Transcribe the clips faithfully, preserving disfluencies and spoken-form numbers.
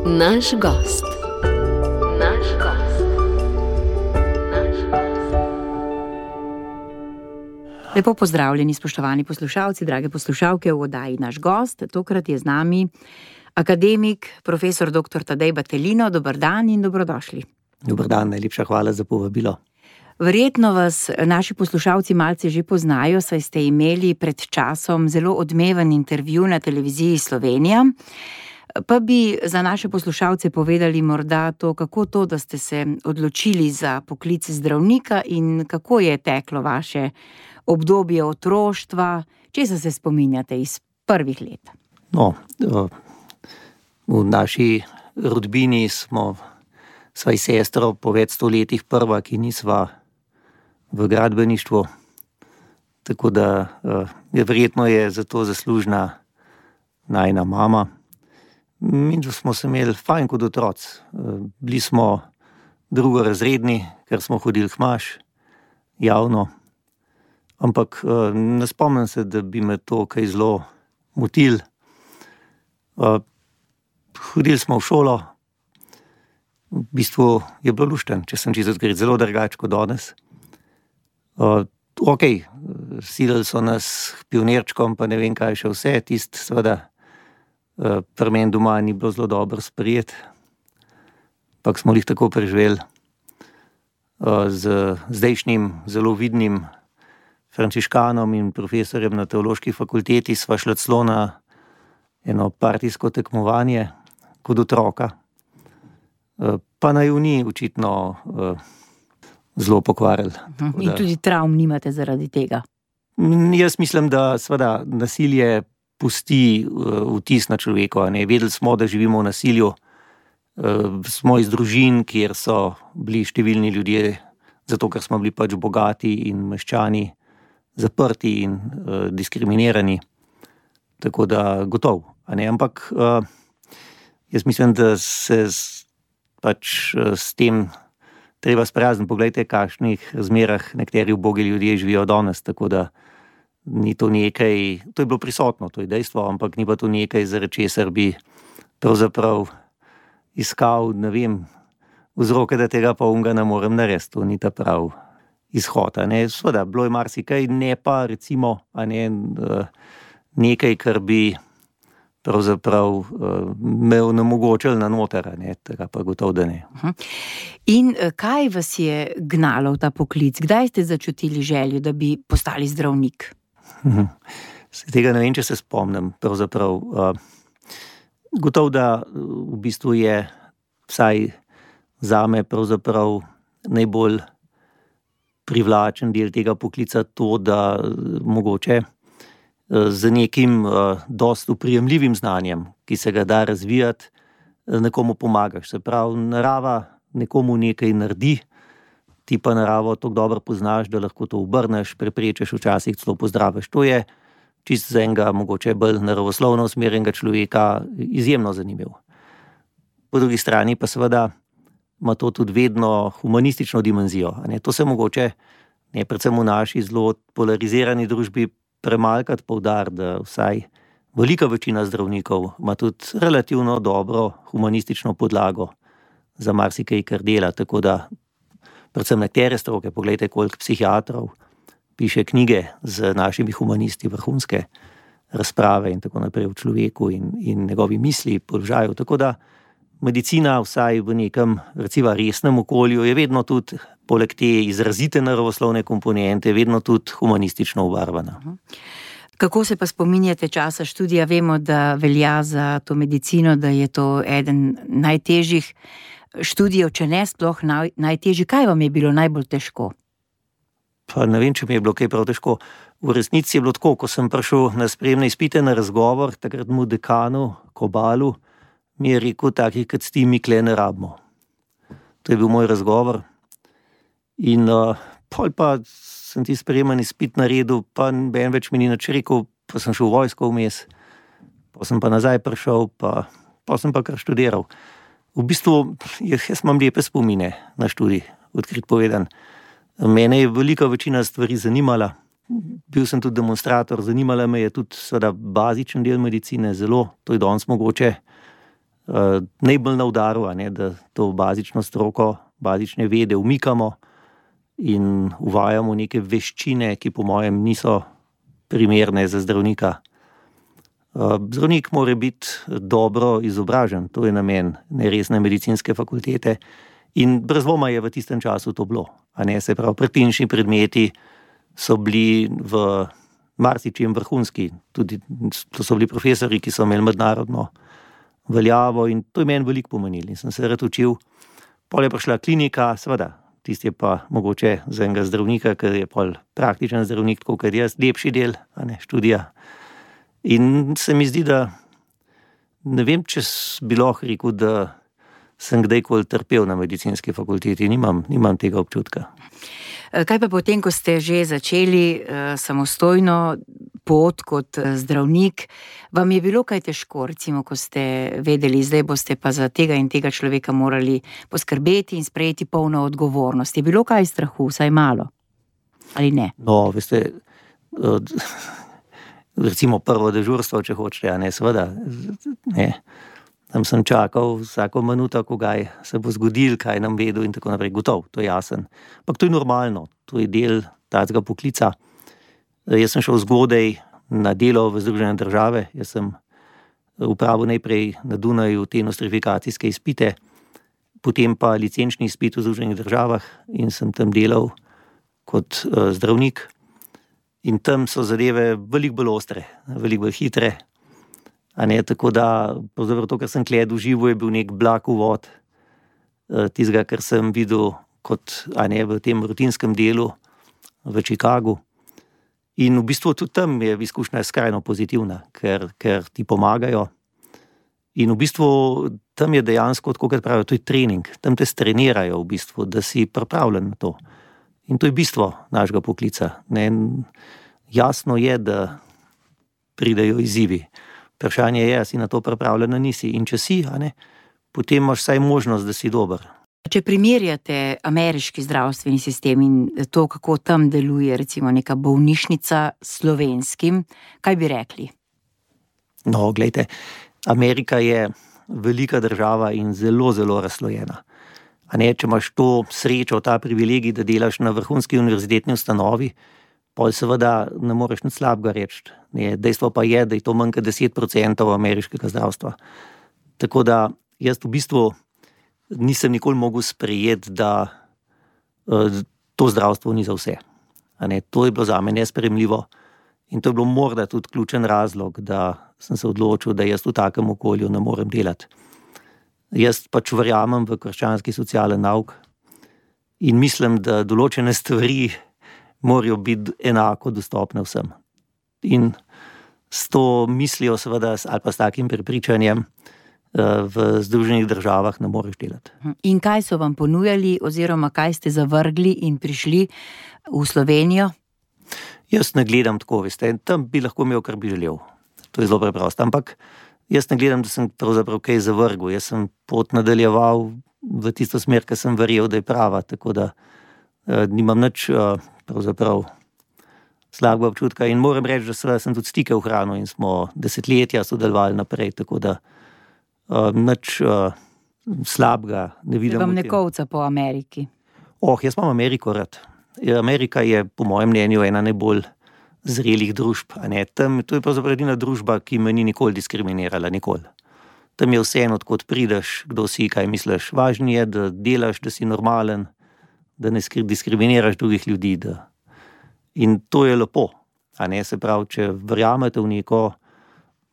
Naš gost. Naš gost. Naš gost. Lepo pozdravljeni, spoštovani poslušalci, drage poslušalke v oddaji Naš gost. Tokrat je z nami akademik, profesor doktor Tadej Battelino. Dober dan in dobrodošli. Dober dan, najlepša hvala za povabilo. Verjetno vas naši poslušalci malce že poznajo, saj ste imeli pred časom zelo odmeven intervju na televiziji Slovenija. Pa bi za naše poslušalce povedali morda to, kako to, da ste se odločili za poklic zdravnika in kako je teklo vaše obdobje otroštva, česa se spominjate iz prvih let? No, v naši rodbini smo sva s sestro po več sto letih prva, ki nisva v gradbeništvu, tako da je verjetno je za to zaslužna najina mama. Mi smo se imeli fajn kot otroci. Bili smo drugorazredni, ker smo hodili k maš, javno. Ampak ne spomnim se, da bi me to kaj zelo motil. Hodili smo v šolo, v bistvu je bilo lušten, če sem čisto odkrit, zelo drugače kot danes. Uh, ok, silili so nas k pionirčkom, pa ne vem kaj še vse, tist seveda uh, pri meni doma ni bilo zelo dobro sprejet, ampak smo jih tako preživeli. Uh, z zdajšnjim zelo vidnim frančiškanom in profesorjem na teološki fakulteti sva šla celo na eno partijsko tekmovanje kot otroka. Uh, pa naj v ni očitno uh, zelo pokvarili. In da, tudi travm nimate zaradi tega? Jaz mislim, da seveda nasilje pusti vtis na človeka. Vedeli smo, da živimo v nasilju. Smo iz družin, kjer so bili številni ljudje, zato ker smo bili pač bogati in meščani, zaprti in uh, diskriminirani. Tako da gotov. Ampak uh, jaz mislim, da se z, pač uh, s tem treba sprijazniti. Poglejte, v kakšnih razmerah nekateri ubogi ljudje živijo danes, tako da ni to nekaj, to je bilo prisotno, to je dejstvo, ampak ni pa to nekaj, zaradi česar bi pravzaprav iskal, ne vem, vzroke, da tega pa unga ne morem narediti, to ni ta prav izhod. Sveda, bilo je marsikaj, ne pa recimo ne, nekaj, kar bi pravzaprav me onemogočili na noter, ne, tega pa gotovo, da ne. In kaj vas je gnalo v ta poklic? Kdaj ste začutili željo, da bi postali zdravnik? Se tega ne vem, če se spomnim, pravzaprav. Gotovo, da v bistvu je vsaj zame pravzaprav najbolj privlačen del tega poklica to, da mogoče z nekim uh, dost uprijemljivim znanjem, ki se ga da razvijati, nekomu pomagaš. Se pravi, narava nekomu nekaj naredi, ti pa naravo tako dobro poznaš, da lahko to obrneš, preprečeš, včasih celo pozdraviš. To je čisto za enega mogoče bolj naravoslovno usmerjenega človeka izjemno zanimivo. Po drugi strani pa seveda ima to tudi vedno humanistično dimenzijo. Ne? To se mogoče, ne, predvsem v naši zelo polarizirani družbi, premalkrat poudariti, da vsaj velika večina zdravnikov ima tudi relativno dobro humanistično podlago za marsikaj, kar dela, tako da predvsem nekatere stroke, poglejte, koliko psihiatrov piše knjige z našimi humanisti, vrhunske razprave in tako naprej o človeku in, in njegovi misli, položaju, tako da medicina vsaj v nekem recimo resnem okolju je vedno tudi, poleg te izrazite naravoslovne komponente, vedno tudi humanistično obarvana. Kako se pa spominjate časa študija? Vemo, da velja za to medicino, da je to eden najtežjih študijev, če ne sploh naj, najtežji. Kaj vam je bilo najbolj težko? Pa ne vem, če mi je bilo kaj prav težko. V resnici je bilo tako, ko sem prišel na sprejemne izpite, na razgovor, takratnemu dekanu, Kobalu, mi je rekel, takih kot s tim mi kle ne rabimo. To je bil moj razgovor. In uh, pol pa sem ti sprejemen izpit naredil, pa ben več mi ni nič rekel, pa sem šel v vojsko vmes, pa sem pa nazaj prišel, pa, pa sem pa kar študiral. V bistvu, jaz imam lepe spomine na študij, odkrit povedan. Mene je velika večina stvari zanimala, bil sem tudi demonstrator, zanimala me je tudi seveda bazičen del medicine, zelo, to je danes mogoče uh, najbolj na udaru, a ne, da to bazično stroko, bazične vede umikamo in uvajamo neke veščine, ki po mojem niso primerne za zdravnika. Uh, zdravnik mora biti dobro izobražen, to je namen neresne medicinske fakultete in brez dvoma je v tistem času to bilo. A ne, se pravi, predklinični predmeti so bili v marsičem vrhunski, tudi to so bili profesori, ki so imeli mednarodno veljavo in to je meni veliko pomenilo in sem se rad učil. Pol je prišla klinika, seveda, tisti je pa mogoče za enega zdravnika, ker je pol praktičen zdravnik, tako kot jaz, lepši del, a ne, študija. In se mi zdi, da ne vem, če bi lahko rekel, da sem kdajkoli trpel na medicinski fakulteti, nimam, nimam tega občutka. Kaj pa potem, ko ste že začeli uh, samostojno pot kot uh, zdravnik, vam je bilo kaj težko, recimo, ko ste vedeli, zdaj boste pa za tega in tega človeka morali poskrbeti in sprejeti polno odgovornost. Je bilo kaj strahu, vsaj malo? Ali ne? No, veste, uh, recimo prvo dežurstvo, če hočete, a ne, seveda, ne. Tam sem čakal vsako minuto, ko kaj se bo zgodil, kaj nam vedel in tako naprej. Gotov, to je jasen. Ampak to je normalno, to je del tacega poklica. Jaz sem šel zgodaj na delo v Združene države, jaz sem upravil najprej na Dunaju te nostrifikacijske izpite, potem pa licenčni izpit v Združenih državah in sem tam delal kot uh, zdravnik. In tam so zadeve veliko bolj ostre, veliko bolj hitre. A ne, tako da, pravzaprav to, kar sem tle doživel, je bil nek blag uvod tistega, kar sem videl kot, a ne, v tem rutinskem delu v Chicagu. In v bistvu tudi tam je izkušnja skrajno pozitivna, ker, ker ti pomagajo. In v bistvu tam je dejansko, tako kot pravijo, to je trening. Tam te strenirajo v bistvu, da si pripravljen na to. In to je bistvo našega poklica. Ne, jasno je, da pridejo izzivi. Vprašanje je, a si na to pripravljen, nisi. In če si, a ne, potem imaš vsaj možnost, da si dober. Če primerjate ameriški zdravstveni sistem in to, kako tam deluje recimo neka bolnišnica s slovenskim, kaj bi rekli? No, glejte, Amerika je velika država in zelo, zelo razslojena. A ne, če imaš to srečo, ta privilegij, da delaš na vrhunski univerzitetni ustanovi, pol seveda ne moreš nič slabega reči. Dejstvo pa je, da je to manj kot deset procentov ameriškega zdravstva. Tako da jaz v bistvu nisem nikoli mogel sprejeti, da uh, to zdravstvo ni za vse. A ne, to je bilo zame nesprejemljivo in to je bilo morda tudi ključen razlog, da sem se odločil, da jaz v takem okolju ne morem delati. Jaz pač verjamem v krščanski socialen nauk in mislim, da določene stvari morajo biti enako dostopne vsem. In s to mislijo seveda, ali pa s takim prepričanjem v Združenih državah ne moreš delati. In kaj so vam ponujali oziroma kaj ste zavrgli in prišli v Slovenijo? Jaz ne gledam tako, veste, tam bi lahko imel, kar bi želel. To je zelo preprosto, ampak jaz ne gledam, da sem pravzaprav kaj zavrgel. Jaz sem pot nadaljeval v tisto smer, ki sem verjel, da je prava, tako da uh, nimam nič uh, pravzaprav slabega občutka in moram reči, da seveda sem tudi stike ohranil in smo desetletja sodelovali naprej, tako da uh, nič uh, slabega ne vidim. Vam ne kovca po Ameriki? Oh, jaz imam Ameriko rad. Amerika je po mojem mnenju ena najbolj zrelih družb. A ne? Tam, to je pravzaprav edina družba, ki me ni nikoli diskriminirala, nikoli. Tam je vseeno, odkot prideš, kdo si, kaj misliš. Važno je, da delaš, da si normalen, da ne diskriminiraš drugih ljudi. Da... In to je lepo. A ne? Se pravi, če verjamete v neko,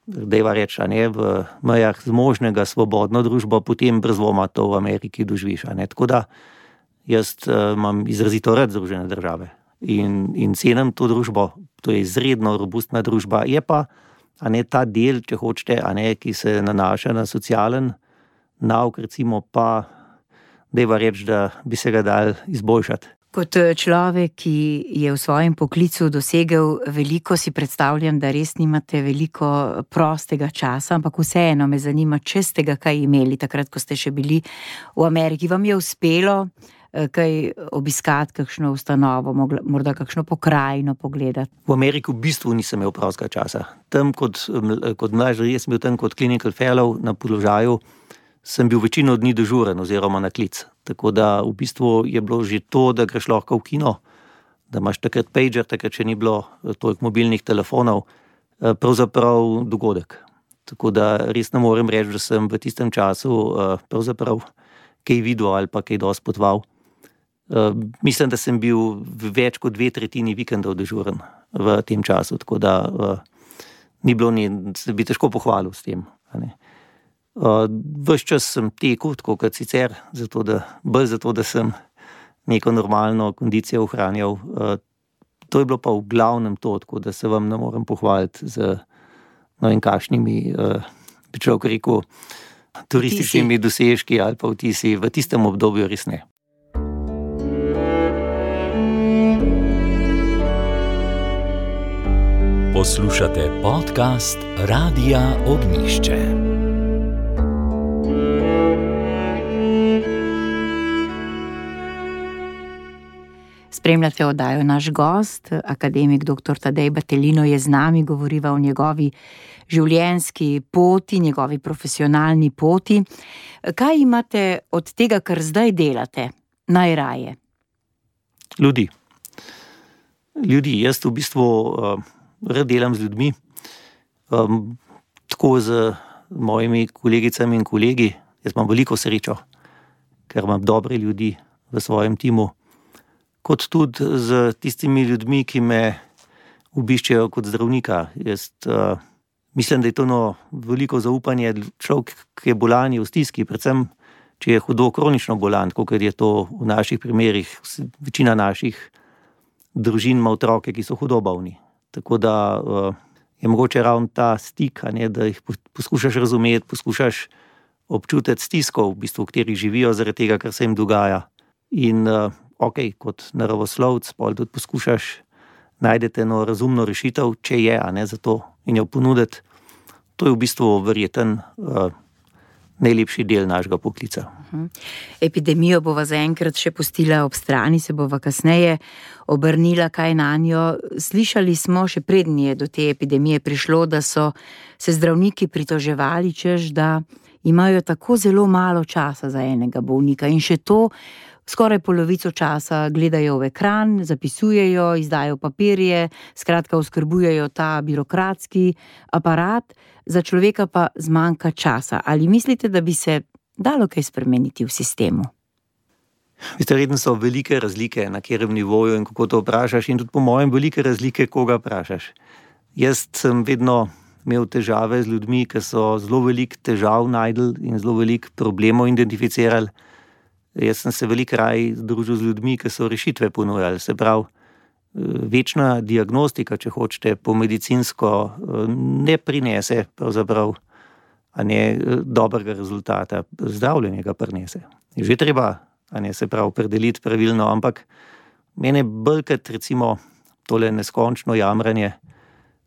dejva reči, a ne, v mejah zmožnega, svobodno družbo, potem brez dvoma to v Ameriki doživiš. A ne? Tako da jaz uh, imam izrazito rad Združene države in, in cenim to družbo. To je izredno robustna družba. Je pa, a ne, ta del, če hočete, a ne, ki se nanaša na socialen nauk, recimo pa, dejva reči, da bi se ga dal izboljšati. Kot človek, ki je v svojem poklicu dosegel veliko, si predstavljam, da res nimate veliko prostega časa, ampak vseeno me zanima, če ste ga kaj imeli takrat, ko ste še bili v Ameriki. Vam je uspelo kaj obiskati, kakšno ustanovo, morda kakšno pokrajino pogledati? V Ameriki v bistvu nisem imel prostega časa. Tam kot, kot mlajši, jaz sem bil tam kot clinical fellow na položaju, sem bil večino dni dežuren oziroma na klic. Tako da v bistvu je bilo že to, da greš lahko v kino, da imaš takrat pager, takrat še ni bilo toliko mobilnih telefonov, pravzaprav dogodek. Tako da res ne morem reči, da sem v tistem času pravzaprav kaj videl ali pa kaj dosti potoval. Mislim, da sem bil več kot dve tretjini vikendov dežuren v tem času, tako da ni bilo ni, se bi težko pohvalil s tem. Ves čas sem tekel, tako kot sicer, zato da, bolj zato, da sem neko normalno kondicijo ohranjal. To je bilo pa v glavnem to, tako da se vam ne morem pohvaliti z no in kakšnimi, bi človek rekel, turističnimi dosežki ali pa vtisi v tistem obdobju res ne. Poslušate podcast Radia Ognjišče. Spremljate oddajo Naš gost, akademik doktor Tadej Battelino je z nami, govoriva o njegovi življenjski poti, njegovi profesionalni poti. Kaj imate od tega, kar zdaj delate, najraje? Ljudi. Ljudi. Jaz v bistvu uh, rad delam z ljudmi, um, tako z mojimi kolegicami in kolegi. Jaz imam veliko srečo, ker imam dobre ljudi v svojem timu, kot tudi z tistimi ljudmi, ki me obiščejo kot zdravnika. Jaz uh, mislim, da je to no veliko zaupanje. Človek, ki je bolan, je v stiski, predvsem, če je hudo kronično bolan, kot je to v naših primerih. Večina naših družin ima otroke, ki so hudo bolni. Tako da uh, je mogoče ravno ta stik, a ne, da jih poskušaš razumeti, poskušaš občutiti stisko, v bistvu, v kateri živijo, zaradi tega, kar se jim dogaja. In uh, ok, kot naravoslovec, pol tudi poskušaš najdete eno razumno rešitev, če je, a ne za to, in jo ponuditi. To je v bistvu verjeten uh, najlepši del našega poklica. Epidemijo bova zaenkrat še pustila ob strani, se bova kasneje obrnila kaj nanjo. Slišali smo, še preden je do te epidemije prišlo, da so se zdravniki pritoževali, češ, da imajo tako zelo malo časa za enega bolnika in še to skoraj polovico časa gledajo v ekran, zapisujejo, izdajo papirje, skratka oskrbujejo ta birokratski aparat, za človeka pa zmanjka časa. Ali mislite, da bi se dalo kaj spremeniti v sistemu? Verjetno so velike razlike, na katerem nivoju in kako to vprašaš, in tudi po mojem velike razlike, koga vprašaš. Jaz sem vedno imel težave z ljudmi, ki so zelo veliko težav najdel in zelo veliko problemov identificirali. Jaz sem se veliko raj združil z ljudmi, ki so rešitve ponujali. Se pravi, večna diagnostika, če hočete, po medicinsko ne prinese pravzaprav a ne dobrega rezultata, zdravljenje ga prinese. Je že treba, a ne se pravi, predeliti pravilno, ampak mene bolj kot recimo tole neskončno jamranje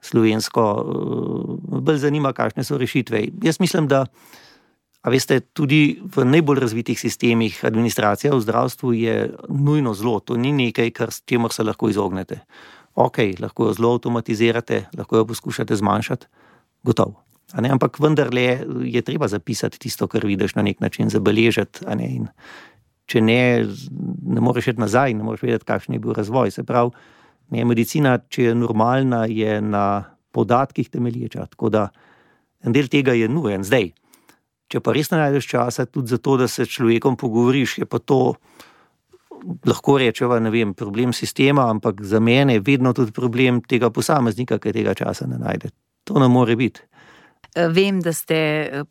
slovensko, bolj zanima, kakšne so rešitve. Jaz mislim, da a veste, tudi v najbolj razvitih sistemih administracija v zdravstvu je nujno zlo. To ni nekaj, kar s čemer se lahko izognete. Ok, lahko jo zelo avtomatizirate, lahko jo poskušate zmanjšati, gotovo. A ne, ampak vendarle je treba zapisati tisto, kar vidiš, na nek način zabeležiti. A ne, in če ne, ne moreš iti nazaj, ne moreš vedeti, kakšen je bil razvoj. Se pravi, ne, medicina, če je normalna, je na podatkih temelječa. Tako da en del tega je nujen zdaj. Če pa res ne najdeš časa tudi za to, da se s človekom pogovoriš, je pa to, lahko rečeva, ne vem, problem sistema, ampak za mene je vedno tudi problem tega posameznika, ki tega časa ne najde. To ne more biti. Vem, da ste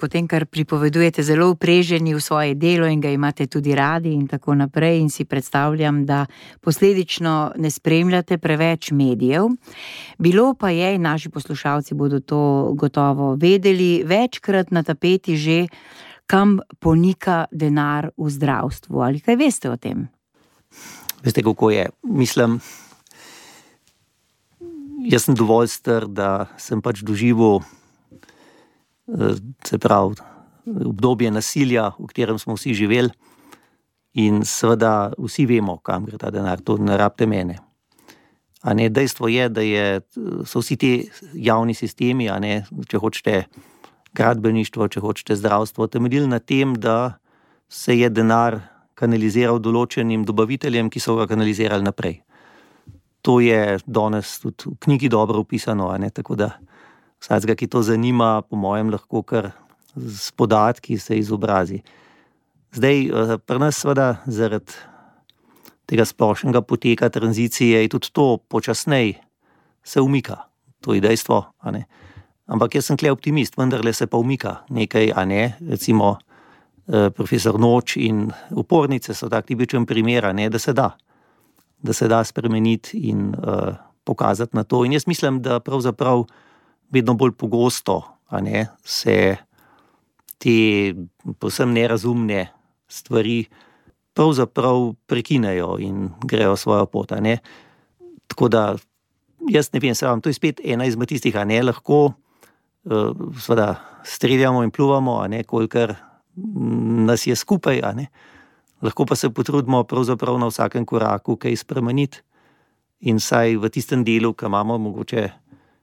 potem, kar pripovedujete, zelo upreženi v svoje delo in ga imate tudi radi in tako naprej, in si predstavljam, da posledično ne spremljate preveč medijev. Bilo pa je, in naši poslušalci bodo to gotovo vedeli, večkrat na tapeti že, kam ponika denar v zdravstvu. Ali kaj veste o tem? Veste, kako je? Mislim, jaz sem dovolj star, da sem pač doživel, se pravi, obdobje nasilja, v katerem smo vsi živeli, In seveda vsi vemo, kam gre ta denar, to ne rabite mene. A ne, dejstvo je, da je, so vsi ti javni sistemi, a ne, če hočete gradbeništvo, če hočete zdravstvo, temeljili na tem, da se je denar kanaliziral določenim dobaviteljem, ki so ga kanalizirali naprej. To je danes tudi v knjigi dobro opisano, a ne, tako da vsakega, ki to zanima, po mojem lahko kar s podatki se izobrazi. Zdaj, pri nas seveda zaradi tega splošnega poteka tranzicije je tudi to počasnej se umika. To je dejstvo, a ne. Ampak jaz sem tle optimist, vendarle se pa umika nekaj, a ne. Recimo profesor Noč in upornice so tak tipičen primer, a ne, da se da. Da se da spremeniti in uh, pokazati na to. In jaz mislim, da pravzaprav vedno bolj pogosto, a ne, se te povsem nerazumne stvari pravzaprav prekinejo in grejo svojo pot, a ne. Tako da, jaz ne vem, se vam, to je spet ena izmed tistih, a ne, lahko uh, seveda streljamo in pluvamo, a ne, kolikor nas je skupaj, a ne. Lahko pa se potrudimo pravzaprav na vsakem koraku kaj spremeniti in saj v tistem delu, ki imamo mogoče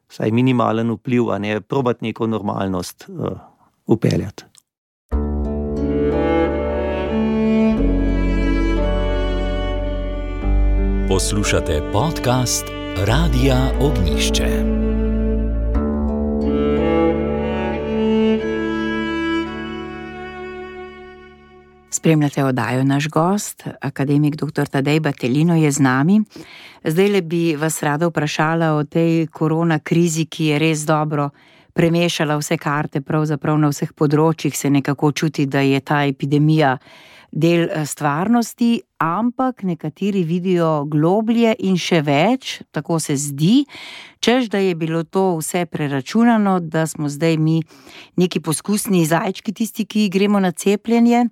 saj minimalen vpliv, a ne, probati neko normalnost uh, upeljati. Poslušate podcast Radia Ognjišče. Spremljate oddajo Naš gost, akademik doktor Tadej Battelino je z nami. Zdajle bi vas rada vprašala o tej korona krizi, ki je res dobro premešala vse karte, pravzaprav na vseh področjih se nekako čuti, da je ta epidemija del stvarnosti, ampak nekateri vidijo globlje in še več, tako se zdi, češ, da je bilo to vse preračunano, da smo zdaj mi neki poskusni zajčki, tisti, ki gremo na cepljenje,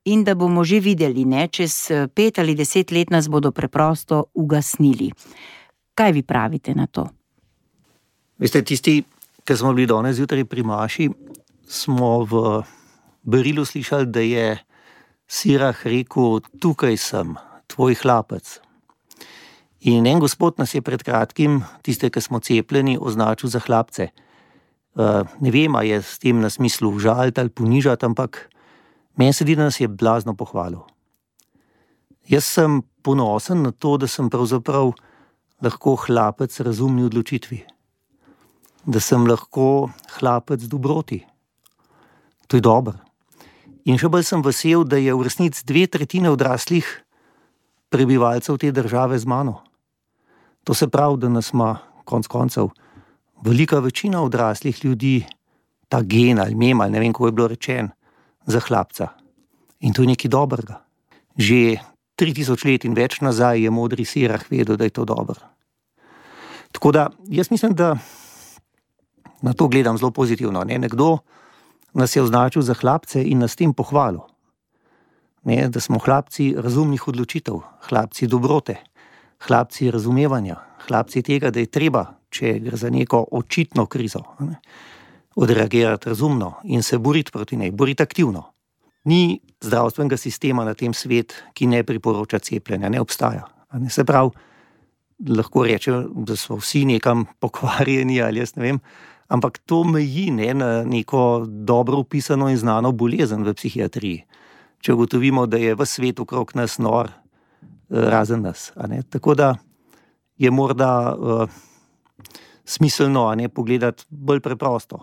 in da bomo že videli, ne, čez pet ali deset let nas bodo preprosto ugasnili. Kaj vi pravite na to? Veste, tisti, ki smo bili danes zjutraj pri maši, smo v berilu slišali, da je Sirah rekel, tukaj sem, tvoj hlapec. In en gospod nas je pred kratkim, tiste, ki smo cepljeni, označil za hlapce. Uh, ne vem, a je s tem na smislu žaliti ali ponižati, ampak meni se zdi, da nas je blazno pohvalil. Jaz sem ponosen na to, da sem pravzaprav lahko hlapec razumni odločitvi. Da sem lahko hlapec dobroti. To je dobro. In še bolj sem vesel, da je v resnici dve tretjine odraslih prebivalcev te države z mano. To se pravi, da nas ima konec koncev velika večina odraslih ljudi ta gen ali mem, ali ne vem, kako je bilo rečen, za hlapca. In to je nekaj dobrega. Že tri tisoč let in več nazaj je modri Sirah vedel, da je to dobro. Tako da, jaz mislim, da na to gledam zelo pozitivno. Ne? Nekdo nas je označil za hlapce in nas tem pohvalil. Ne, da smo hlapci razumnih odločitev, hlapci dobrote, hlapci razumevanja, hlapci tega, da je treba, če gre za neko očitno krizo, ne, odreagirati razumno in se boriti proti njej, boriti aktivno. Ni zdravstvenega sistema na tem svet, ki ne priporoča cepljenja, ne obstaja. Ne, se pravi, lahko reče, da so vsi nekam pokvarjeni ali jaz ne vem, ampak to meji ne, na neko dobro opisano in znano bolezen v psihiatriji. Če ugotovimo, da je v svetu okrog nas nor, razen nas. A ne. Tako da je morda uh, smiselno a ne, pogledati bolj preprosto.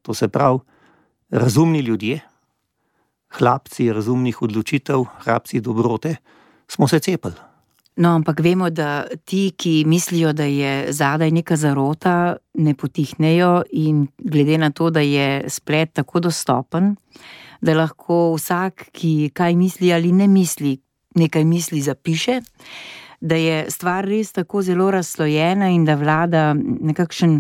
To se pravi, razumni ljudje, hlapci razumnih odločitev, hlapci dobrote, smo se cepili. No, ampak vemo, da ti, ki mislijo, da je zadaj neka zarota, ne potihnejo in glede na to, da je splet tako dostopen, da lahko vsak, ki kaj misli ali ne misli, nekaj misli zapiše, da je stvar res tako zelo razslojena in da vlada nekakšen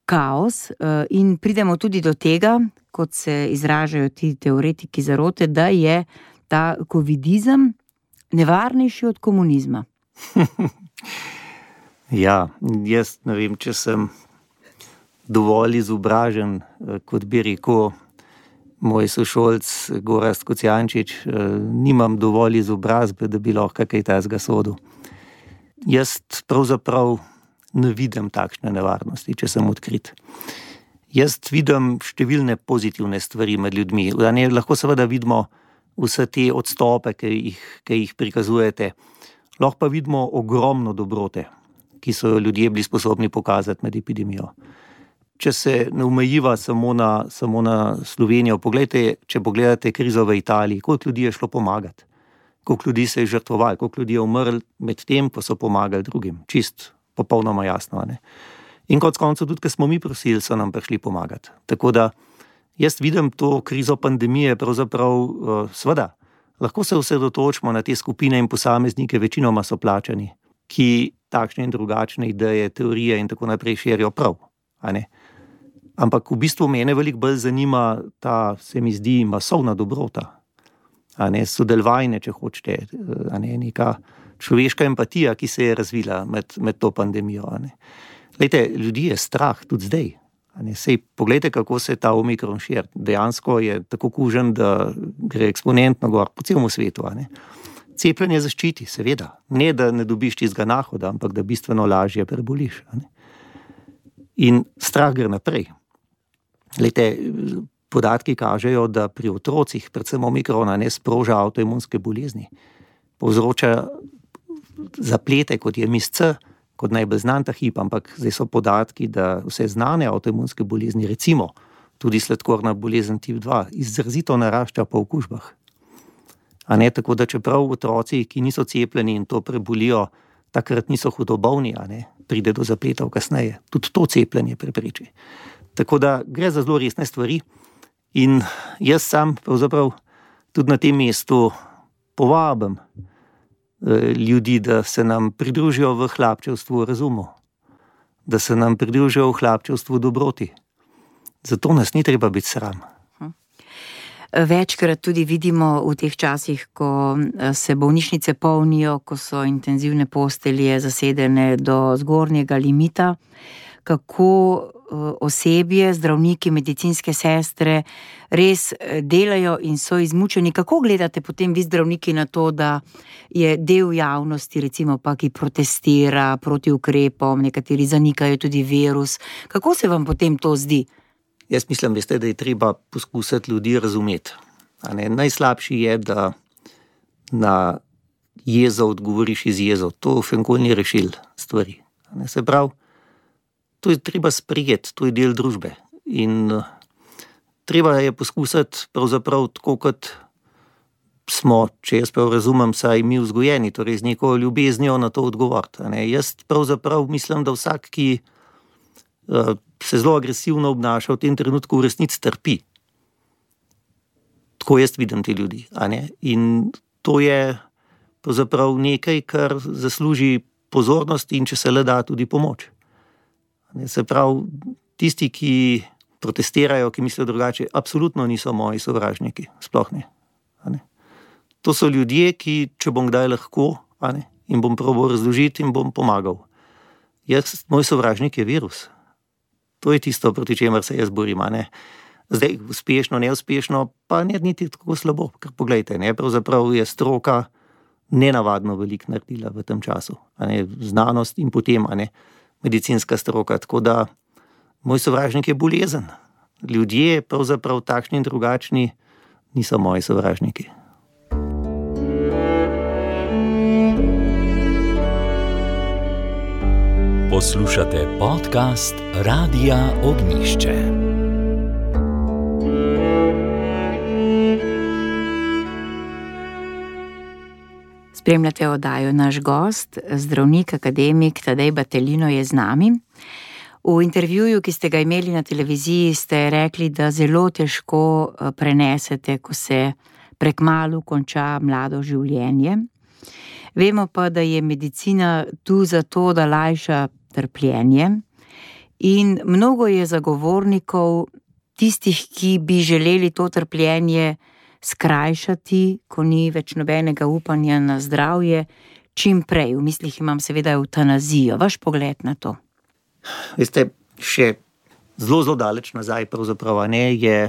kaos in pridemo tudi do tega, kot se izražajo ti teoretiki zarote, da je ta covidizem nevarnejši od komunizma. Ja, jaz ne vem, če sem dovolj izobražen, kot bi rekel moj sošolc Gorazd Kocijančič, nimam dovolj izobrazbe, da bi lahko kaj tazga sodil. Jaz pravzaprav ne vidim takšne nevarnosti, če sem odkrit. Jaz vidim številne pozitivne stvari med ljudmi. Ne, lahko seveda vidimo vse te odstope, ki jih, ki jih prikazujete. Lahko pa vidimo ogromno dobrote, ki so ljudje bili sposobni pokazati med epidemijo. Če se ne omejiva samo na, samo na Slovenijo, poglejte, če pogledate krizo v Italiji, koliko ljudi je šlo pomagati, koliko ljudi se je žrtvovalo, koliko ljudi je umrlo med tem, ko so pomagali drugim. Čist, popolnoma jasno. Ne? In kot koncu tudi, ker smo mi prosili, so nam prišli pomagati. Tako da jaz vidim to krizo pandemije, pravzaprav uh, sveda, lahko se osredotočimo na te skupine in posameznike, večinoma so plačani, ki takšne in drugačne ideje, teorije in tako naprej širijo prav. A ne? Ampak v bistvu mene veliko bolj zanima ta, se mi zdi, masovna dobrota. A ne, sodelovanje, če hočete, a ne, neka človeška empatija, ki se je razvila med, med to pandemijo. A ne. Lejte, ljudi je strah tudi zdaj. A ne. Sej, poglejte, kako se ta omikron širi. Dejansko je tako kužen, da gre eksponentno gor po celem svetu. A ne. Cepljenje zaščiti, seveda. Ne, da ne dobiš tistega nahoda, ampak da bistveno lažje preboliš. A ne. In strah gre naprej. Lejte, podatki kažejo, da pri otrocih, predvsem omikrona, ne sproža avtoimunske bolezni. Povzroča zaplete, kot je M I S C, kot najbolj znan ta hip, ampak zdaj so podatki, da vse znane avtoimunske bolezni, recimo tudi sladkorna bolezen tip dva, izrazito narašča po okužbah. A ne, tako da čeprav otroci, ki niso cepljeni in to prebolijo, takrat niso hudobolni, a ne, pride do zapletov kasneje. Tudi to cepljenje prepreči. Tako da gre za zelo resne stvari in jaz sam pravzaprav tudi na tem mestu povabim eh, ljudi, da se nam pridružijo v hlapčevstvu razumu, da se nam pridružijo v hlapčevstvu dobroti. Zato nas ni treba biti sram. Večkrat tudi vidimo v teh časih, ko se bolnišnice polnijo, ko so intenzivne postelje zasedene do zgornjega limita, kako osebje, zdravniki, medicinske sestre res delajo in so izmučeni. Kako gledate potem vi zdravniki na to, da je del javnosti, recimo pa, ki protestira proti ukrepom, nekateri zanikajo tudi virus. Kako se vam potem to zdi? Jaz mislim, veste, da je treba poskusiti ljudi razumeti. A ne, najslabši je, da na jezo odgovoriš iz jezo. To v nikoli ni rešil stvari. A ne, se pravi, to je treba sprijeti, to je del družbe. In uh, treba je poskusiti pravzaprav tako, kot smo, če jaz prav razumem, saj mi vzgojeni, torej z neko ljubeznijo na to odgovoriti. A ne, jaz pravzaprav mislim, da vsak, ki uh, se zelo agresivno obnaša v tem trenutku, v resnici trpi. Tako jaz vidim te ljudi. A ne? In to je pravzaprav nekaj, kar zasluži pozornost in če se le da tudi pomoč. A ne? Se pravi, tisti, ki protestirajo, ki mislijo drugače, absolutno niso moji sovražniki. Sploh ne. A ne? To so ljudje, ki, če bom kdaj lahko, a ne, in bom probal razložiti in bom pomagal. Jaz, moj sovražnik je virus. To je tisto, proti čemer se jaz borim, a ne. Zdaj, uspešno, neuspešno, pa ne niti tako slabo, ker poglejte, ne, pravzaprav je stroka nenavadno veliko naredila v tem času, a ne, znanost in potem, a ne, medicinska stroka, tako da moj sovražnik je bolezen. Ljudje, pravzaprav takšni in drugačni, niso moji sovražniki. Poslušate podcast Radia Ognišče. Spremljate oddajo Naš gost, zdravnik, akademik Tadej Battelino je z nami. V intervjuju, ki ste ga imeli na televiziji, ste rekli, da zelo težko prenesete, ko se prekmalu konča mlado življenje. Vemo pa, da je medicina tu zato, da lajša trpljenje in mnogo je zagovornikov tistih, ki bi želeli to trpljenje skrajšati, ko ni več nobenega upanja na zdravje, čim prej. V mislih imam seveda evtanazijo. Vaš pogled na to? Veste, še zelo, zelo daleč nazaj pravzaprav, ne, je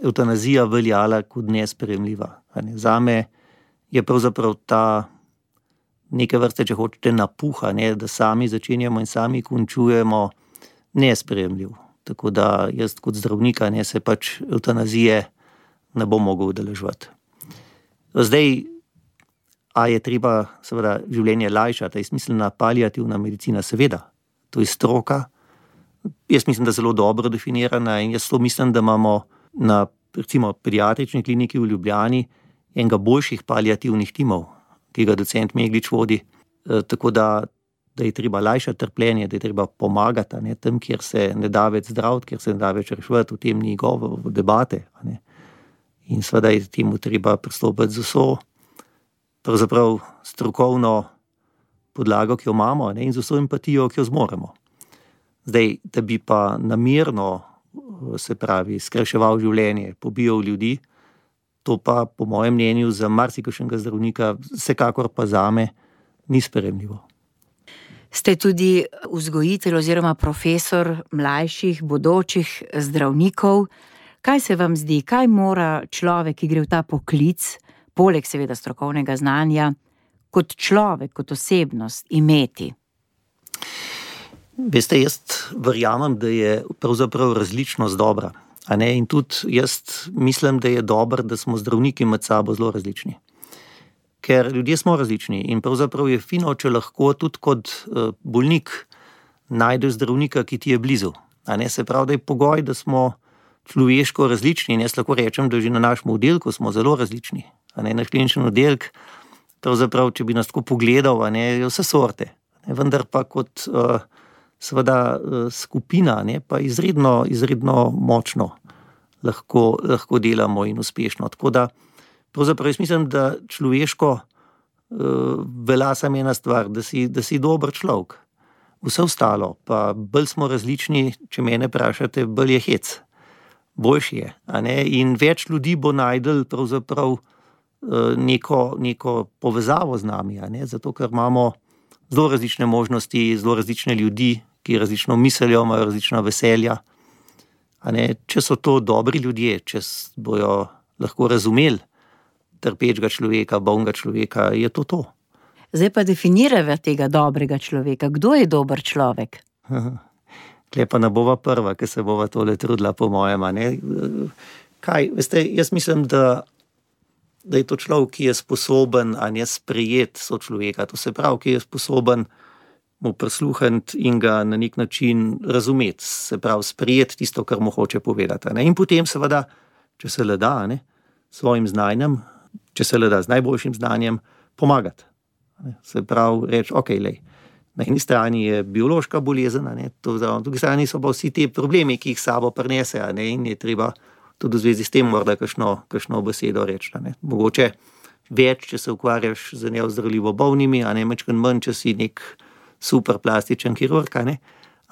evtanazija veljala kot nesprejemljiva. Ne. Zame je pravzaprav ta neke vrste, če hočete, napuha, ne, da sami začenjamo in sami končujemo, nesprejemljiv. Tako da jaz kot zdravnika ne, se pač evtanazije ne bom mogel udeleževati. Zdaj, a je treba seveda življenje lajšati, je smiselna paliativna medicina, seveda. To je stroka. Jaz mislim, da zelo dobro definirana in jaz to mislim, da imamo na recimo pediatrični kliniki v Ljubljani enega boljših paliativnih timov, ki ga docent Meglič vodi, e, tako da, da je treba lajšati trpljenje, da je treba pomagati, ne, tam, kjer se ne da več zdraviti, kjer se ne da več reševati, v tem ni govor, v debate. Ne. In seveda je temu treba pristopiti z vso pravzaprav strokovno podlago, ki jo imamo, ne, in z vso empatijo, ki jo zmoremo. Zdaj, da bi pa namerno, se pravi, skrajševal življenje, pobijal ljudi, to pa po mojem mnenju za marsikakšnega zdravnika, vsekakor pa zame, ni sprejemljivo. Ste tudi vzgojitelj oziroma profesor mlajših, bodočih zdravnikov. Kaj se vam zdi, kaj mora človek, ki gre v ta poklic, poleg seveda strokovnega znanja, kot človek, kot osebnost imeti? Veste, jaz verjamem, da je pravzaprav različnost dobra. A ne? In tudi jaz mislim, da je dobro, da smo zdravniki med sabo zelo različni. Ker ljudje smo različni in pravzaprav je fino, če lahko tudi kot bolnik najdeš zdravnika, ki ti je blizu. A ne? Se pravi, da je pogoj, da smo človeško različni in jaz lahko rečem, da že na našem oddelku smo zelo različni. A ne? Naš klinični oddelek, pravzaprav, če bi nas tako pogledal, a ne, je vse sorte. A ne? Vendar pa kot uh, seveda skupina, ne, pa izredno, izredno močno lahko, lahko delamo in uspešno. Tako da, pravzaprav jaz mislim, da človeško uh, velja samo ena stvar, da si, da si dober človek. Vse ostalo, pa bolj smo različni, če mene vprašate, bolj je hec. Boljši je. A ne? In več ljudi bo najdel pravzaprav uh, neko, neko povezavo z nami, a ne? Zato ker imamo zelo različne možnosti, zelo različne ljudi, ki različno mislijo, imajo različna veselja. A ne, če so to dobri ljudje, če bojo lahko razumeli trpečega človeka, bolnega človeka, je to to. Zdaj pa definirava tega dobrega človeka. Kdo je dober človek? Tule pa ne bova prva, ki se bova tole trudila, po mojem. A ne? Kaj, veste, jaz mislim, da da je to človek, ki je sposoben, a ne, sprejeti sočloveka, to se pravi, ki je sposoben mu prisluhniti in ga na nek način razumeti, se pravi, sprejeti tisto, kar mu hoče povedati. Ne? In potem seveda, če se le da, ne, svojim znanjem, če se le da z najboljšim znanjem, pomagati. Ne? Se pravi, reči, ok, lej, na eni strani je biološka bolezen, a ne, to, na drugi strani so pa vsi te problemi, ki jih sabo prinese, a ne, in je treba tudi v zvezi s tem morda kakšno, kakšno besedo reči. Ne. Mogoče več, če se ukvarjaš z neozdravljivo bolnimi, a ne mečkan manj, če si nek super plastičen kirurg, a ne.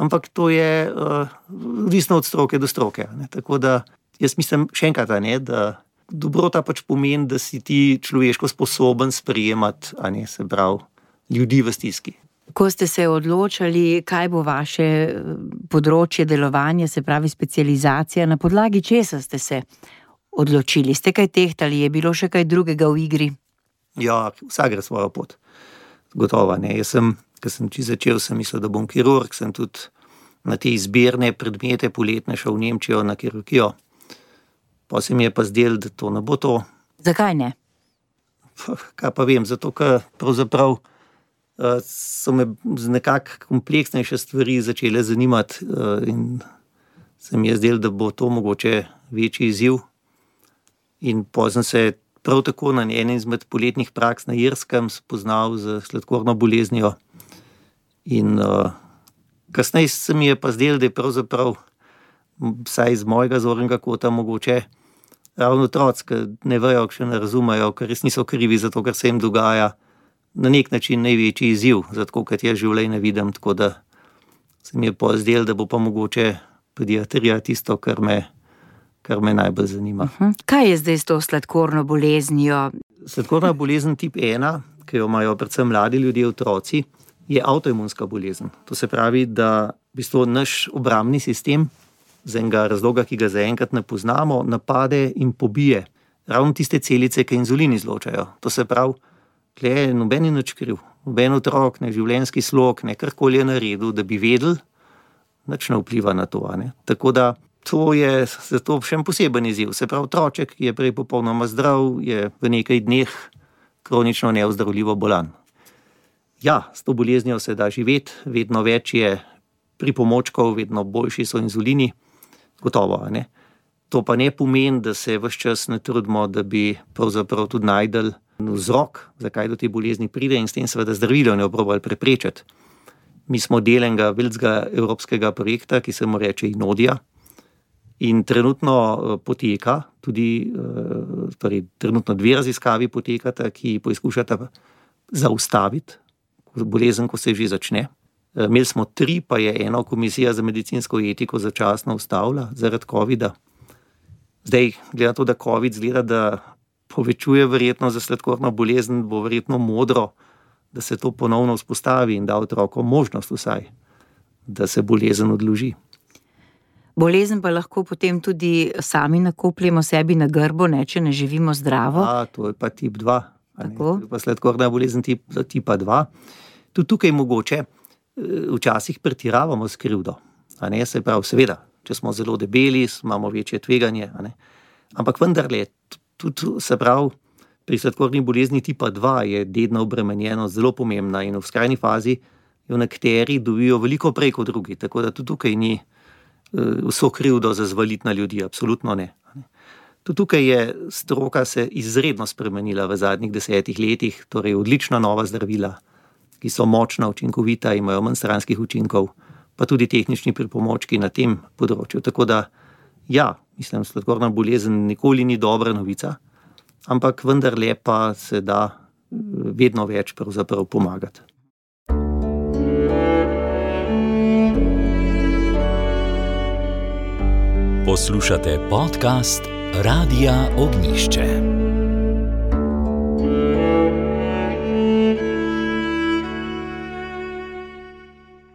Ampak to je uh, odvisno od stroke do stroke. A ne. Tako da jaz mislim še enkrat, a ne, da dobrota pač pomeni, da si ti človeško sposoben sprejemati, a ne, se pravi, ljudi v stiski. Ko ste se odločali, kaj bo vaše področje delovanja, se pravi specializacija, na podlagi česa ste se odločili? Ste kaj tehtali? Je bilo še kaj drugega v igri? Ja, vsak gre svojo pot. Gotovo, ne. Jaz sem, ko sem čisto začel, sem mislil, da bom kirurg, sem tudi na te izbirne predmete poletne šel v Nemčijo na kirurgijo. Pa se mi je pa zdelo, da to ne bo to. Zakaj ne? Kaj pa vem, zato ker pravzaprav so me z nekako kompleksnejše stvari začele zanimati in se mi je zdelo, da bo to mogoče večji izziv. In potem se prav tako na enem izmed poletnih praks na Irskem spoznal z sladkorno boleznijo. In uh, kasneje se mi je pa zdelo, da je pravzaprav, vsaj iz mojega zornega kota, mogoče ravno otroci, ki ne vejo, ki še ne razumejo, ker res niso krivi za to, kar se jim dogaja, na nek način največji izziv, zato kot jaz življenje vidim, tako da se mi je pa zdelo, da bo pa mogoče pediatrija tisto, kar me, kar me najbolj zanima. Uh-huh. Kaj je zdaj s to sladkorno boleznijo? Sladkorna bolezen tip ena, ki jo imajo predvsem mladi ljudje, otroci, je avtoimunska bolezen. To se pravi, da v bistvu naš obrambni sistem z enega razloga, ki ga zaenkrat ne poznamo, napade in pobije ravno tiste celice, ki inzulin izločajo. To se pravi, tle noben je nič kriv, noben otrok, ne življenjski slog, ne karkoli je naredil, da bi vedel, nič ne vpliva na to. Ne? Tako da to je zato še en poseben izziv. Se pravi, otroček, ki je prej popolnoma zdrav, je v nekaj dneh kronično neozdravljivo bolan. Ja, s to boleznijo se da živeti, vedno več je pripomočkov, vedno boljši so inzulini, gotovo, ne. To pa ne pomeni, da se ves čas ne trudimo, da bi pravzaprav tudi najdel vzrok, zakaj do te bolezni pride in s tem seveda zdravilo ne probali preprečiti. Mi smo del enega velikega evropskega projekta, ki se mu reče Inodija, in trenutno poteka, tudi torej, trenutno dve raziskavi potekata, ki poskušata zaustaviti bolezen, ko se že začne. Imeli smo tri, pa je eno komisija za medicinsko etiko začasno ustavila zaradi covida. Zdaj, glede na to, da covid zgleda, da povečuje verjetno za sladkorno bolezen, bo verjetno modro, da se to ponovno vzpostavi in da otrokom možnost vsaj, da se bolezen odloži. Bolezen pa lahko potem tudi sami nakopljemo sebi na grbo, ne, če ne živimo zdravo. A, to je pa tip dva. To je pa sladkorna bolezen tip, tipa dva. Tudi tukaj mogoče včasih pretiravamo s krivdo. A ne, se pravi, seveda, če smo zelo debeli, imamo večje tveganje. A ne. Ampak vendarle, tudi se pravi, pri sladkorni bolezni tipa dva je dedna obremenjenost zelo pomembna in v skrajni fazi jo nekateri dobijo veliko prej kot drugi. Tako da tudi tukaj ni vso krivdo za zvaliti na ljudi, absolutno ne. Tudi tukaj je stroka se izredno spremenila v zadnjih desetih letih, torej odlična nova zdravila, ki so močna, učinkovita, imajo manj stranskih učinkov, pa tudi tehnični pripomočki na tem področju. Tako da, ja, mislim, sladkorna bolezen nikoli ni dobra novica, ampak vendarle pa se da vedno več pravzaprav pomagati. Poslušate podcast Radia Ognjišče.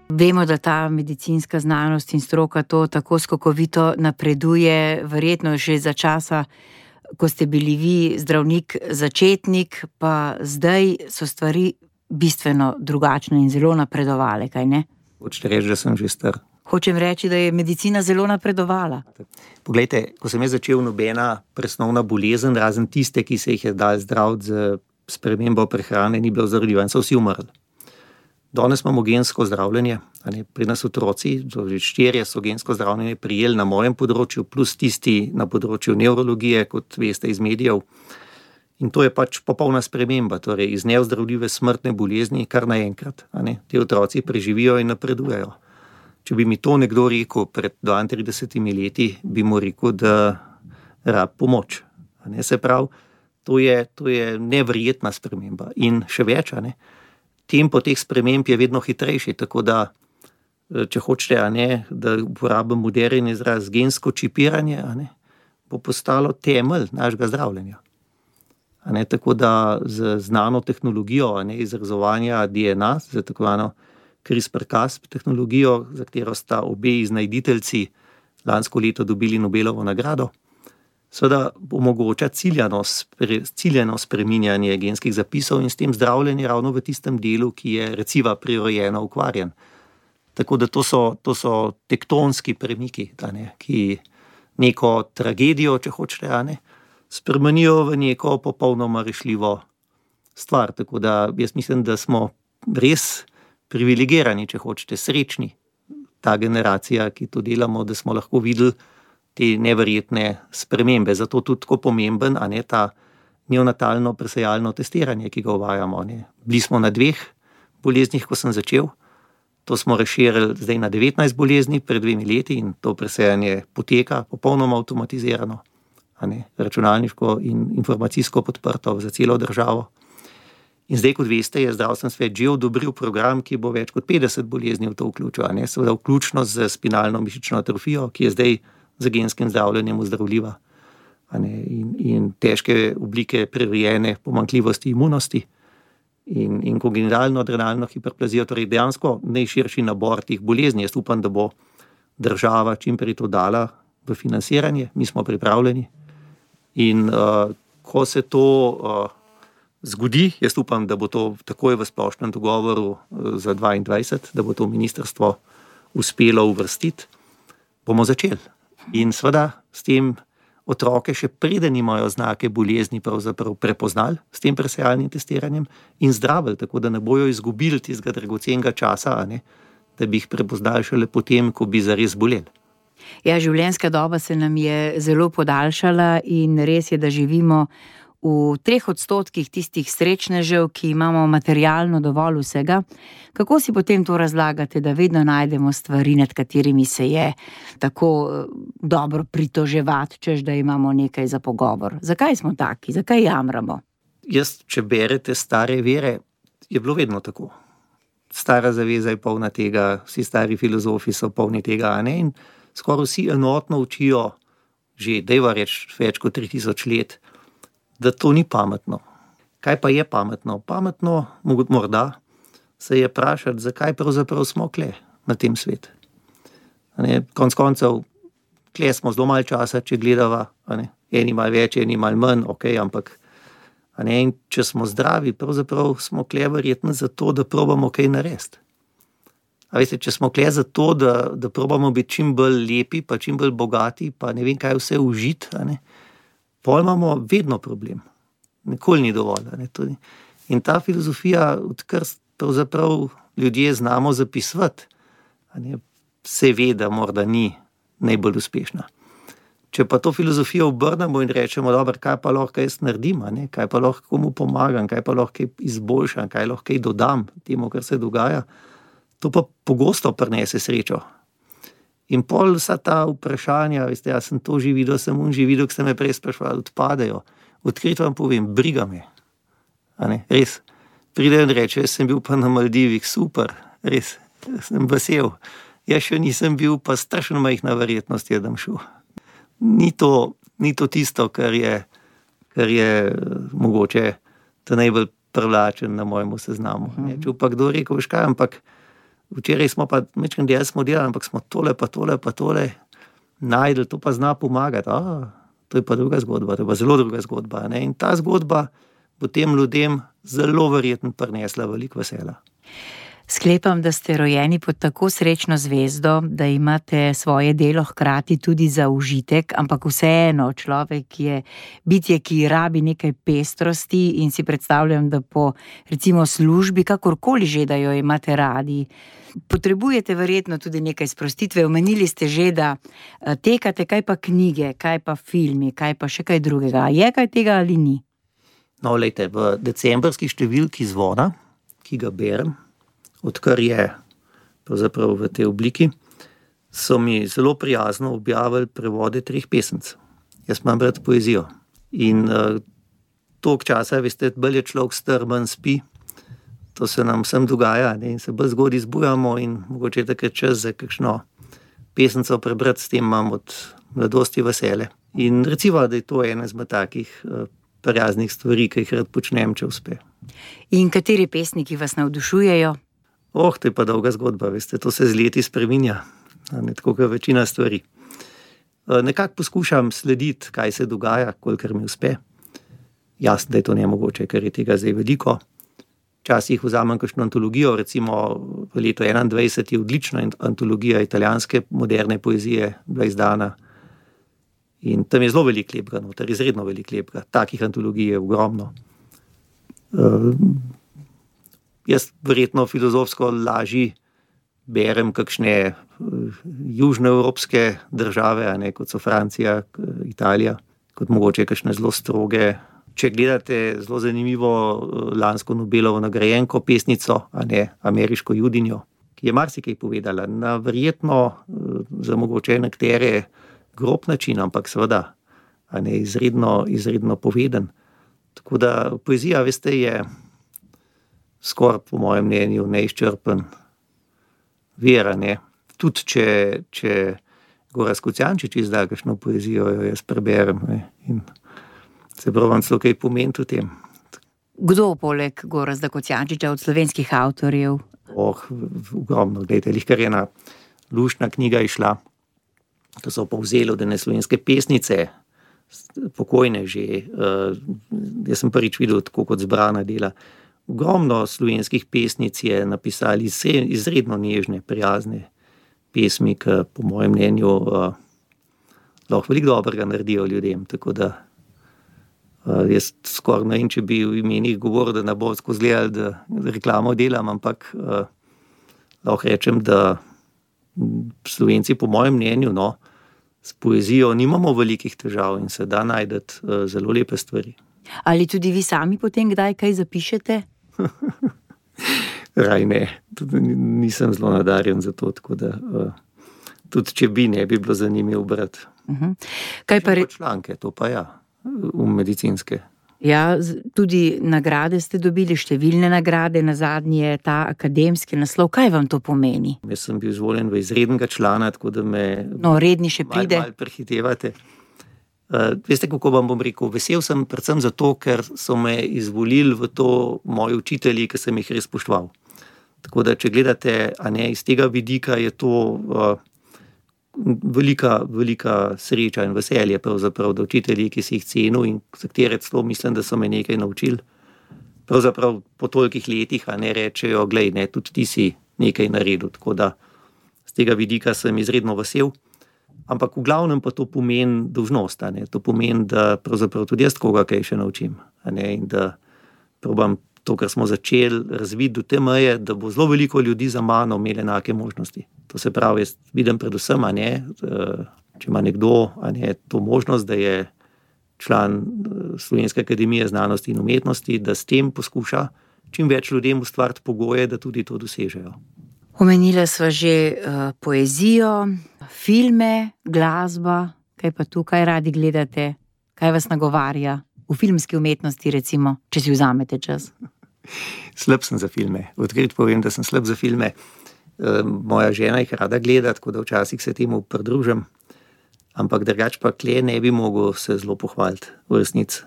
Vemo, da ta medicinska znanost in stroka to tako skokovito napreduje, verjetno že za časa, ko ste bili vi zdravnik začetnik, pa zdaj so stvari bistveno drugačne in zelo napredovale, kaj ne? Hočete reči, da sem že star. Hočem reči, da je medicina zelo napredovala. Poglejte, ko sem jaz začel, nobena presnovna bolezen, razen tiste, ki se jih je dal zdraviti z spremembo prehrane, ni bilo ozdravljiva in so vsi umrli. Danes imamo gensko zdravljenje, pri nas otroci, štirje so gensko zdravljenje prijeli na mojem področju, plus tisti na področju nevrologije, kot veste iz medijev. In to je pač popolna sprememba, torej iz neozdravljive smrtne bolezni kar naenkrat. Ti otroci preživijo in napredujejo. Če bi mi to nekdo rekel pred dvaintridesetimi leti, bi mu rekel, da rab pomoč. Ne, se pravi, to je, to je neverjetna sprememba. In še več, ne, tempo teh sprememb je vedno hitrejši, tako da, če hočete, ne, da uporabim moderen izraz, gensko čipiranje, ne, bo postalo temelj našega zdravljenja. Ne, tako da z znano tehnologijo, ne, izrezovanja D N A, za tako zvano CRISPR-Cas tehnologijo, za katero sta obe iznajditeljci lansko leto dobili Nobelovo nagrado, seveda omogoča ciljano, ciljano spreminjanje genskih zapisov in s tem zdravljenje ravno v tistem delu, ki je reciva prirojeno okvarjen. Tako da to so, to so tektonski premiki, ne, ki neko tragedijo, če hočete, ne, spremenijo v neko popolnoma rešljivo stvar. Tako da jaz mislim, da smo res privilegirani, če hočete, srečni, ta generacija, ki to delamo, da smo lahko videli te neverjetne spremembe. Zato tudi tako pomemben, a ne, ta neonatalno presejalno testiranje, ki ga uvajamo. Ne. Bili smo na dveh boleznih, ko sem začel, to smo razširili zdaj na devetnajst bolezni pred dvemi leti in to presejanje poteka popolnoma avtomatizirano, a ne, računalniško in informacijsko podprto za celo državo. In zdaj, kot veste, je zdravstveni svet že odobril program, ki bo več kot petdeset bolezni v to vključil, a ne, seveda vključno z spinalno mišično atrofijo, ki je zdaj z genskim zdravljenjem ozdravljiva, a ne, in, in težke oblike prirojene pomanjkljivosti imunosti in, in kongenitalno adrenalno hiperplazijo, torej dejansko najširši nabor teh bolezni. Jaz upam, da bo država čimprej to dala v financiranje, mi smo pripravljeni. In uh, ko se to uh, zgodi, jaz upam, da bo to takoj v splošnem dogovoru uh, za dvaindvajset, da bo to ministrstvo uspelo uvrstiti, bomo začeli. In seveda s tem otroke še preden imajo znake bolezni pravzaprav prepoznali s tem presejalnim testiranjem in zdravili, tako da ne bojo izgubili tistega dragocenega časa, a ne, da bi jih prepoznali šele potem, ko bi zares boleli. Ja, življenjska doba se nam je zelo podaljšala in res je, da živimo v treh odstotkih tistih srečnežev, ki imamo materialno dovolj vsega. Kako si potem to razlagate, da vedno najdemo stvari, nad katerimi se je tako dobro pritoževati, češ da imamo nekaj za pogovor? Zakaj smo taki? Zakaj jamramo? Jaz, če berete stare vere, je bilo vedno tako. Stara zaveza je polna tega, vsi stari filozofi so polni tega, a ne? In skoraj vsi enotno učijo, že dejva reč več kot tri tisoč let, da to ni pametno. Kaj pa je pametno? Pametno, morda, se je vprašati, zakaj pravzaprav smo kle na tem svetu. Konec koncev, kle smo zelo malo časa, če gledava, eni malo več, eni malo manj, ok, ampak a ne, in če smo zdravi, pravzaprav smo kle verjetno zato, da probamo kaj narediti. A veste, če smo kle zato, da, da probamo biti čim bolj lepi, pa čim bolj bogati, pa ne vem kaj vse užiti, a ne, pol imamo vedno problem. Nikoli ni dovolj. Ne, tudi. In ta filozofija, odkar pravzaprav ljudje znamo zapisovati, a ne, se ve, da morda ni najbolj uspešna. Če pa to filozofijo obrnemo in rečemo, dobro, kaj pa lahko jaz naredim, a ne, kaj pa lahko komu pomagam, kaj pa lahko izboljšam, kaj lahko dodam temu, kar se dogaja, to pa pogosto prinese srečo. In pol vsa ta vprašanja, veste, jaz sem to že videl, sem un že videl, ki ste me prej sprašvali, odpadajo. Odkrito vam povem, briga me. A ne, res. Pridejo in reče, jaz sem bil pa na Maldivih, super, res, sem vesel. Jaz še nisem bil, pa strašno majhna verjetnost je, da bom šel. Ni to, ni to tisto, kar je, kar je mogoče ta najbolj privlačen na mojemu seznamu. Ne, če pa kdo rekel, veš kaj, ampak včeraj smo pa, mečkaj del smo delali, ampak smo tole pa tole pa tole najdel, to pa zna pomagati. A, to je pa druga zgodba, to je pa zelo druga zgodba. Ne? In ta zgodba bo tem ljudem zelo verjetno prinesla veliko vesela. Sklepam, da ste rojeni pod tako srečno zvezdo, da imate svoje delo hkrati tudi za užitek, ampak vseeno človek je bitje, ki rabi nekaj pestrosti in si predstavljam, da po recimo službi, kakorkoli že, da jo imate radi, potrebujete verjetno tudi nekaj sprostitve. Omenili ste že, da tekate, kaj pa knjige, kaj pa filmi, kaj pa še kaj drugega. Je kaj tega ali ni? No, lejte, v decembrski številki Zvona, ki ga berem, odkar je pravzaprav v tej obliki, so mi zelo prijazno objavili prevode treh pesemc. Jaz imam rad poezijo. In uh, toliko časa, veste, bolj je človek star, manj spi, to se nam vsem dogaja, ne? In se bolj zgodaj zbujamo in mogoče takrat čas za kakšno pesemco prebrati, s tem imam od mladosti vesele. In recimo, da je to ena izmed takih uh, prijaznih stvari, ki jih rad počnem, če uspe. In kateri pesniki vas navdušujejo? Oh, to je pa dolga zgodba, veste, to se z leti spreminja, ne, tako kot večina stvari. Nekako poskušam slediti, kaj se dogaja, kolikor mi uspe. Jasno, da je to nemogoče, ker je tega zdaj veliko. Včasih vzamem kakšno antologijo, recimo v letu enaindvajset je odlična antologija italijanske moderne poezije bila izdana in tam je zelo veliko lepega, noter, izredno veliko lepega. Takih antologij je ogromno. Uh, Jaz verjetno filozofsko lažji berem kakšne južnoevropske države, a ne, kot so Francija, Italija, kot mogoče kakšne zelo stroge. Če gledate zelo zanimivo lansko Nobelovo nagrajenko pesnico, a ne, ameriško judinjo, ki je marsikaj povedala, na verjetno za mogoče nekatere grob način, ampak seveda, a ne, izredno, izredno poveden. Tako da poezija, veste, je skoraj po mojem mnenju neizčrpen vir, ne. Tudi če, če Gorazd Kocijančič izda kakšno poezijo, jo jaz preberem, ne. In se probam celo kaj pomeniti o tem. Kdo poleg Gorazda Kocijančiča od slovenskih avtorjev? Oh, ogromno, gledajte, lihkar ena luštna knjiga išla, to so povzeli od ene slovenske pesnice, pokojne že. Uh, jaz sem prvič videl tako kot zbrana dela. Ogromno slovenskih pesnic je napisali izredno nežne, prijazne pesmi, ki po mojem mnenju uh, lahko veliko dobrega naredijo ljudem. Tako da uh, jaz skoraj ne vem, če bi v imenih govoril, da ne bo skozi gledali, da reklamo delam, ampak uh, lahko rečem, da Slovenci po mojem mnenju, no, s poezijo nimamo velikih težav in se da najdeti uh, zelo lepe stvari. Ali tudi vi sami potem kdaj kaj zapišete? Raj ne, tudi nisem zelo nadarjen za to, tako da uh, tudi če bi, ne bi bilo zanimivo brati. Uh-huh. Kaj pa re... članke, to pa ja, v medicinske. Ja, tudi nagrade ste dobili, številne nagrade, nazadnje ta akademski naslov. Kaj vam to pomeni? Jaz sem bil izvoljen v izrednega člana, tako da me no, redni še pride. Mal, mal prehitevate. Uh, veste, kako vam bom rekel? Vesel sem predvsem zato, ker so me izvolili v to moji učitelji, ki sem jih res spoštoval. Tako da, če gledate, a ne, iz tega vidika je to uh, velika, velika sreča in veselje pravzaprav, da učitelji, ki si jih cenil in za katere celo mislim, da so me nekaj naučili, pravzaprav po tolikih letih, a ne, rečejo, glej, ne, tudi ti si nekaj naredil. Tako da, z tega vidika sem izredno vesel. Ampak v glavnem pa to pomeni dolžnost, a ne, to pomeni, da pravzaprav tudi jaz koga kaj še naučim, a ne, in da probam to, kar smo začeli razviti do te meje, da bo zelo veliko ljudi za mano imeli enake možnosti. To se pravi, jaz vidim predvsem, a ne, če ima nekdo, a ne, to možnost, da je član Slovenske akademije znanosti in umetnosti, da s tem poskuša čim več ljudem ustvariti pogoje, da tudi to dosežejo. Omenila sva že uh, poezijo, filme, glasba, kaj pa tu, kaj radi gledate, kaj vas nagovarja v filmski umetnosti, recimo, če si vzamete čas? Slab sem za filme. Odkrit povem, da sem slab za filme. Moja žena jih rada gleda, tako da včasih se temu pridružim, ampak drugače pa kle ne bi mogel se zelo pohvaliti v resnici.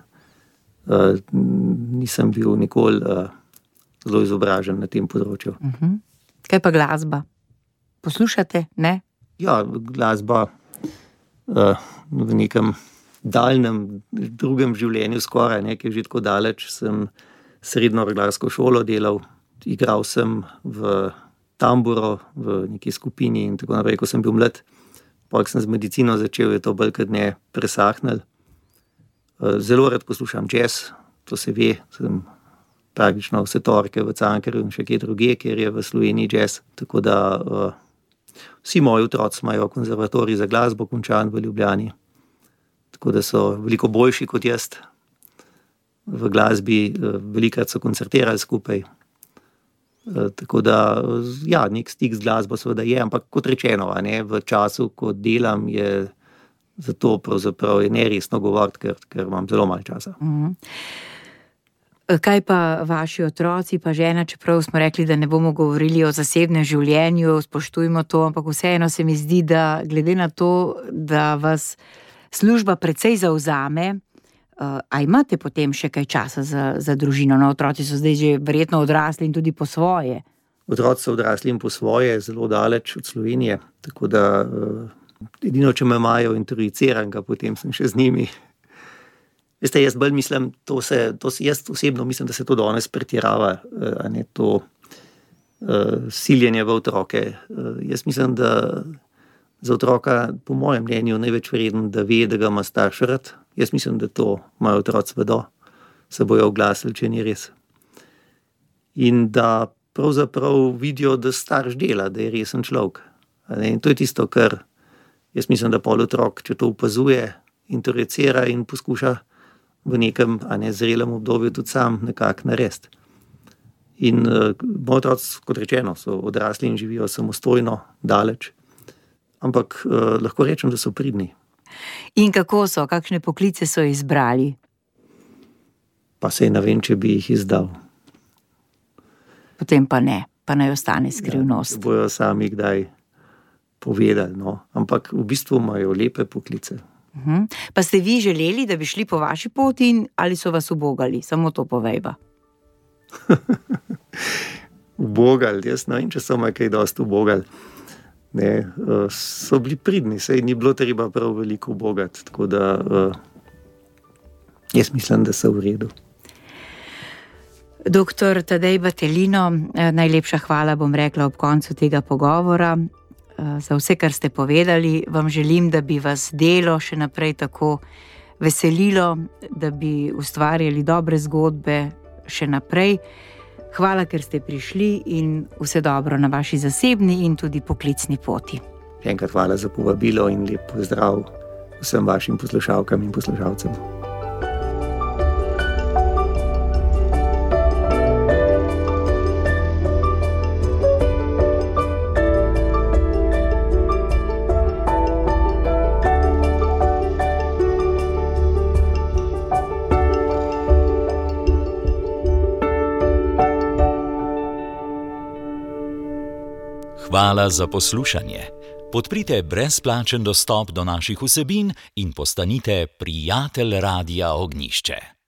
Nisem bil nikoli zelo izobražen na tem področju. Uh-huh. Kaj pa glasba? Poslušate, ne? Ja, glasba v nekem daljnem drugem življenju skoraj, ne, ki je že tako daleč, sem srednjo reglarsko šolo delal, igral sem v tamburo, v neki skupini in tako naprej, ko sem bil mlad. Potem sem z medicino začel, je to bolj kot ne presahnil. Zelo rad poslušam jazz, to se ve, sem praktično vse torke v Cankarju in še kje druge, kjer je v Sloveniji jazz, tako da vsi moji otroci imajo konzervatorij za glasbo končan v Ljubljani. Tako da so veliko boljši kot jaz v glasbi, velikrat so koncertirali skupaj. Tako da, ja, nek stik z glasbo seveda je, ampak kot rečeno, a ne, v času, ko delam, je zato pravzaprav je neresno govoriti, ker, ker imam zelo malo časa. Mhm. Kaj pa vaši otroci, pa žena, čeprav smo rekli, da ne bomo govorili o zasebnem življenju, spoštujmo to, ampak vseeno se mi zdi, da glede na to, da vas služba precej zavzame, uh, a imate potem še kaj časa za, za družino? No, otroci so zdaj že verjetno odrasli in tudi po svoje. Otroci so odrasli in po svoje, zelo daleč od Slovenije, tako da uh, edino, če me imajo introduciranega, potem sem še z njimi. Veste, jaz bolj mislim, to se, to se, jaz osebno mislim, da se to danes pretirava, a ne to uh, siljenje v otroke. Uh, jaz mislim, da za otroka, po mojem mnenju, največ vreden, da ve, da ga ima starš rad. Jaz mislim, da to imajo otroci vedo, se bojo oglasili, če ni res. In da pravzaprav vidijo, da starš dela, da je resen človek. In to je tisto, kar jaz mislim, da pol otrok, če to opazuje, introducira in poskuša v nekem, a ne zrelem obdobju tudi sam nekako narediti. In uh, moji otroci, kot rečeno, so odrasli in živijo samostojno, daleč, ampak uh, lahko rečem, da so pridni. In kako so, kakšne poklice so izbrali? Pa sej ne vem, če bi jih izdal. Potem pa ne, pa naj ostane skrivnost. Ja, bojo sami kdaj povedali, no. Ampak v bistvu imajo lepe poklice. Uhum. Pa ste vi želeli, da bi šli po vaši poti in ali so vas ubogali? Samo to povejba. Ubogali, jaz ne vem, če so me kaj dosti ubogali. Ne, so bili pridni, saj ni bilo treba prav veliko ubogati, tako da jaz mislim, da so v redu. Doktor Tadej Battelino, najlepša hvala, bom rekla ob koncu tega pogovora. Za vse, kar ste povedali, vam želim, da bi vas delo še naprej tako veselilo, da bi ustvarjali dobre zgodbe še naprej. Hvala, ker ste prišli in vse dobro na vaši zasebni in tudi poklicni poti. Še enkrat hvala za povabilo in lep pozdrav vsem vašim poslušalkam in poslušalcem. Hvala za poslušanje. Podprite brezplačen dostop do naših vsebin in postanite prijatelj Radia Ognjišče.